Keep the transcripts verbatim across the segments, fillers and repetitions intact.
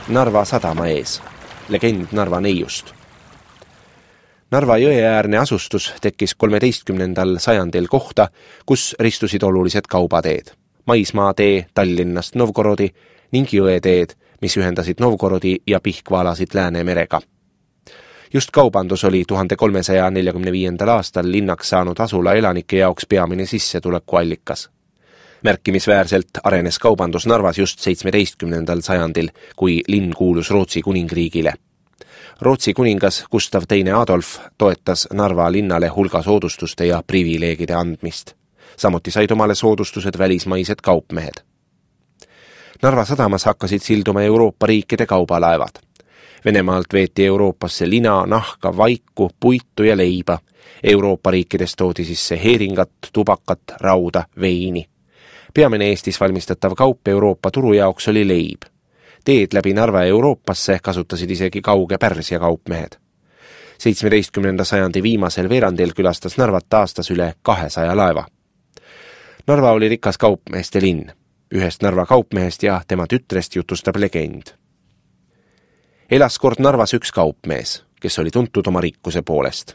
Narva sadama ees, legend Narva neiust. Narva jõeäärne asustus tekkis kolmeteistkümnendal sajandil kohta, kus ristusid olulised kaubateed. Maismaatee Tallinnast Novgorodi ning jõeteed, mis ühendasid Novgorodi ja Pihkva alasid Läänemerega. Just kaubandus oli tuhande kolmesaja neljakümne viiendal aastal linnaks saanud asula elanike jaoks peamine sissetulekuallikas. Märkimisväärselt arenes kaubandus Narvas just seitsmeteistkümnendal sajandil, kui linn kuulus Rootsi kuningriigile. Rootsi kuningas Gustav teine Adolf toetas Narva linnale hulga soodustuste ja privileegide andmist. Samuti said omale soodustused välismaised kaupmehed. Narva sadamas hakkasid silduma Euroopa riikide kaubalaevad. Venemaalt veeti Euroopasse lina, nahka, vaiku, puitu ja leiba. Euroopa riikides toodi sisse heeringat, tubakat, rauda, veini. Peamine Eestis valmistatav kaup Euroopa turu jaoks oli leib. Teed läbi Narva Euroopasse kasutasid isegi kauge Pärsia kaupmehed. seitsmeteistkümnenda sajandi viimasel veerandil külastas Narvat aastas üle kahesaja laeva. Narva oli rikas kaupmeeste linn. Ühest Narva kaupmehest ja tema tütrest jutustab legend. Elas kord Narvas üks kaupmees, kes oli tuntud oma rikkuse poolest.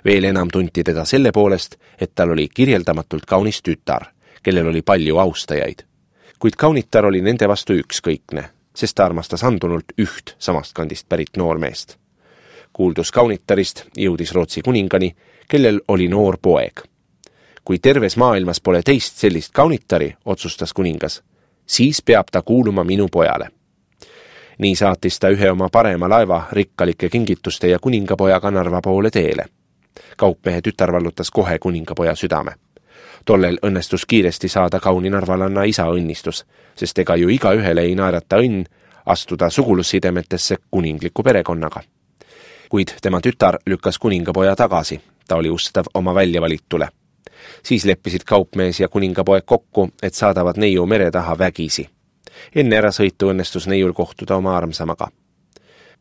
Veel enam tunti teda selle poolest, et tal oli kirjeldamatult kaunis tütar, kellel oli palju austajaid. Kuid kaunitar oli nende vastu ükskõikne, sest ta armastas andunult üht samast kandist pärit noormeest. Kuuldus kaunitarist jõudis Rootsi kuningani, kellel oli noor poeg. Kui terves maailmas pole teist sellist kaunitari, otsustas kuningas, siis peab ta kuuluma minu pojale. Nii saatis ta ühe oma parema laeva rikkalike kingituste ja kuningapojaga Narva poole teele. Kaupmehe tütar vallutas kohe kuningapoja südame. Tollel õnnestus kiiresti saada kauni narvalanna isa õnnistus, sest ega ju iga ühele ei naerata õnn astuda sugulussidemetesse kuningliku perekonnaga. Kuid tema tütar lükkas kuningapoja tagasi, ta oli ustav oma väljavalitule. Siis leppisid kaupmees ja kuningapoeg kokku, et saadavad neiu mere taha vägisi. Enne ära sõitu õnnestus neiul kohtuda oma armsamaga.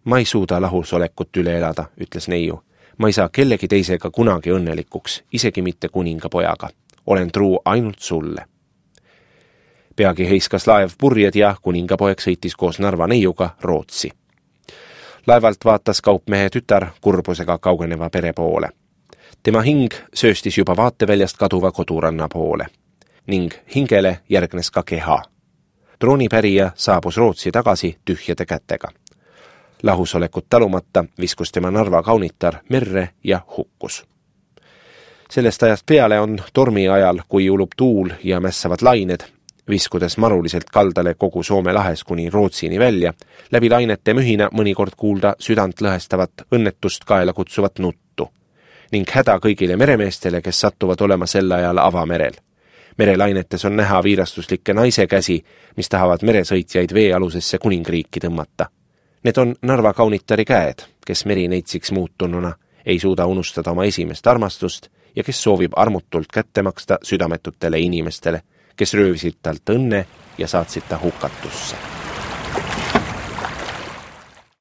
Ma ei suuda lahusolekut üle elada, ütles neiu. Ma ei saa kellegi teisega kunagi õnnelikuks, isegi mitte kuningapojaga. Olen truu ainult sulle. Peagi heiskas laev purjed ja kuningapoeg sõitis koos Narva neiuga Rootsi. Laevalt vaatas kaupmehe tütar kurbusega kaugeneva pere poole. Tema hing sööstis juba vaateväljast kaduva koduranna poole. Ning hingele järgnes ka keha. Troonipärija saabus Rootsi tagasi tühjade kätega. Lahusolekut talumata viskus tema Narva kaunitar merre ja hukkus. Sellest ajast peale on tormi ajal, kui ulub tuul ja mässavad lained, viskudes maruliselt kaldale kogu Soome lahes kuni Rootsini välja, läbi lainete mühina mõnikord kuulda südant lõhestavat õnnetust kaela kutsuvat nuttu, ning häda kõigile meremeestele, kes sattuvad olema sel ajal avamerel. Merelainetes on näha viirastuslikke naise käsi, mis tahavad meresõitjaid veealusesse kuningriiki tõmmata. Need on Narva kaunitari käed, kes merineitsiks muutununa ei suuda unustada oma esimest armastust ja kes soovib armutult kätte maksta südametutele inimestele, kes röövisid talt õnne ja saatsid ta hukatusse.